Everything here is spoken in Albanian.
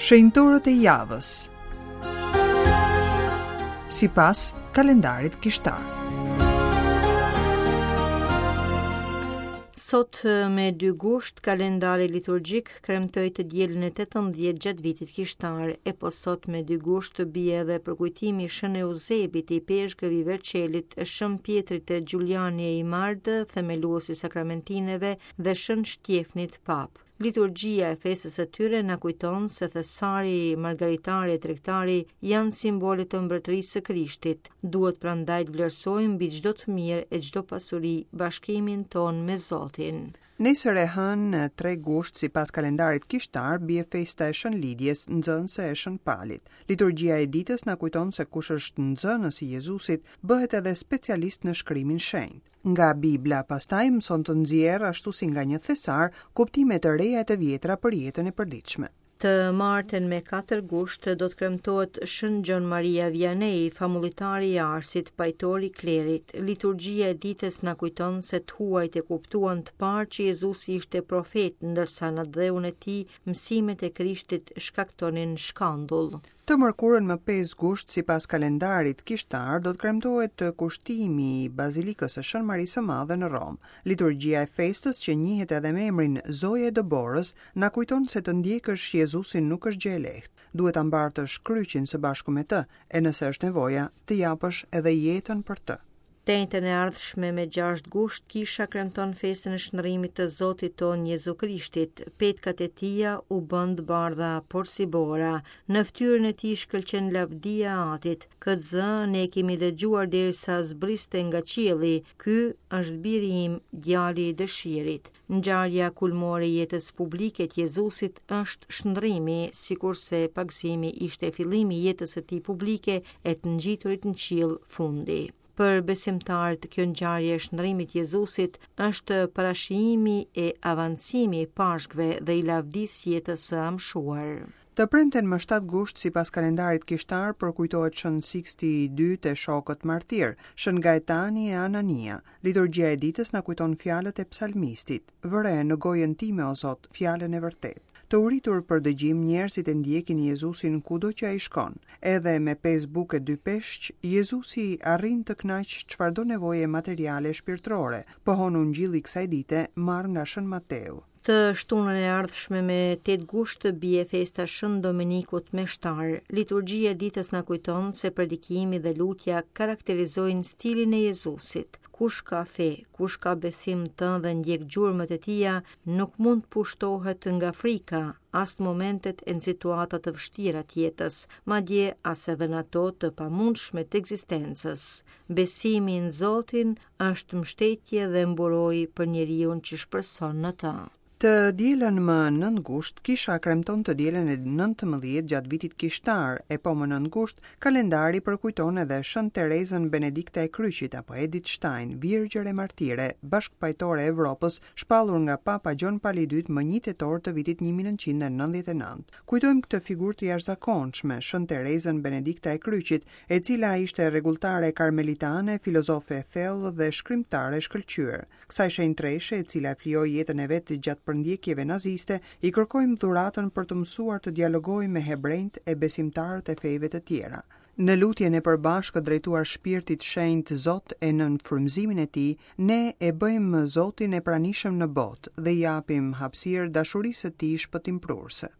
Shenjtorët e javës. Sipas kalendarit kishtar. Sot me 2 gusht, kalendari liturgjik kremtoi të dielën e 18 gjatë vitit kishtar, e po sot me 2 gusht bie edhe përkujtimi i Shën Euzebit, ipeshkëv i Verçelit, Shën Pjetrit të Giuliani e Imard, themelues i sakramentineve dhe Shën Shtjefnit Papë. Liturgjia e festës së tyre na kujton se thesari, margaritari e tregtari janë simbole të mbretërisë së Krishtit. Duhet prandaj të vlerësojmë mbi çdo të mirë e çdo pasuri bashkimin tonë me Zotin. Nesër e hënë, 3 gusht, sipas kalendarit kishtar, bie festa e Shën Lidjes, nxënëse e Shën Palit. Liturgjia e ditës na kujton se kush është nxënës i Jezusit, bëhet edhe specialist në shkrimin shenjt. Nga Bibla, pastaj mëson të nxjerrë, ashtu si nga një thesar, kuptime të reja e të vjetra për jetën e përditshme. Të martën me 4 gusht do të kremtohet Shën Gjon Maria Vianney, famullitari i Arsit, pajtor i klerit. Liturgjia e ditës na kujton se të huajt e kuptuan të parë që Jezusi ishte profet, ndërsa në atdheun e tij mësimet e Krishtit shkaktonin shkandull. Të mërkurën më 5 gusht, sipas kalendarit kishtar, do të kremtohet kushtimi i Bazilikës së Shën Marisë së Madhe në Romë. Liturgjia e festës, që njihet edhe me emrin Zoja e Dëborës, na kujton se të ndjekësh Jezusin nuk është gjë e lehtë. Duhet ta mbartësh kryqin së bashku me të, e nëse është nevoja, të japësh edhe jetën për të. Të enjten e ardhshme me 6 gusht, kisha kremton festën e shndërrimit të Zotit tonë Jezu Krishtit. Petkat e tija u bënë të bardha porsi bora. Në fytyrën e tij shkëlqen lavdia e Atit. Këtë zë ne e kemi dëgjuar derisa zbriste nga qielli. Ky është biri im, djali i dëshirit. Ngjarja kulmore e jetës publike të Jezusit është shndërrimi, sikurse pagëzimi ishte fillimi i jetës së tij publike e të ngjiturit në qiell fundi. Për besimtarët, kjo ngjarje e shndërrimit të Jezusit është parashijimi e avancimi i Pashkëve dhe i lavdisë jetës së amshuar. Të premten më 7 gusht, sipas kalendarit kishtar, përkujtohet Shën Siksti i Dytë e shokët martirë, Shën Gaetani e Anania. Liturgjia e ditës na kujton fjalët e psalmistit. Vëre në gojën time, o Zot, fjalën e vërtetë. Të uritur për dëgjim, njerëzit e ndjekin Jezusin kudo që ai shkon. Edhe me pesë bukë e dy peshq, Jezusi arrin të kënaqë çfarëdo nevoje materiale e shpirtërore, pohon Ungjilli i kësaj dite, marrë nga Shën Mateu. Të shtunën e ardhshme me 8 gusht bie festa Shën Domenikut Meshtar. Liturgjia e ditës na kujton se predikimi dhe lutja karakterizojnë stilin e Jezusit. Kush ka fe, kush ka besim në të dhe ndjek gjurmët e tija, nuk mund të pushtohet nga frika, as në momentet e në situata të vështira të jetës, madje as edhe në ato të pamundshme të ekzistencës. Besimi në Zotin është mbështetje dhe mburojë për njeriun që shpreson në të. Të dielën më 9 gusht, kisha kremton të dielën e 19 gjatë vitit kishtar, e po më 9 gusht, kalendari përkujton edhe Shën Terezën Benedikta e Kryqit apo Edith Stein, virgjër e martire, bashkëpajtore e Evropës, shpallur nga Papa Gjon Pali i Dytë më 1 tetor të vitit 1999. Kujtojmë këtë figurë të jashtëzakonshme, Shën Terezën Benedikta e Kryqit, e cila ishte rregulltare karmelitane, filozofe e thellë dhe shkrimtare e shkëlqyer. Kësaj shenjtreshe, e cila flijoi jetën e vet gjatë përndjekjeve naziste, i kërkojmë dhuratën për të mësuar të dialogojë me hebrenjtë e besimtarët e fejve të tjera. Në lutjen e përbashkët drejtuar Shpirtit Shenjt Zot e nën frymëzimin e tij, ne e bëjmë Zotin e pranishëm në botë dhe i japim hapësirë dashurisë së tij shpëtimprurëse.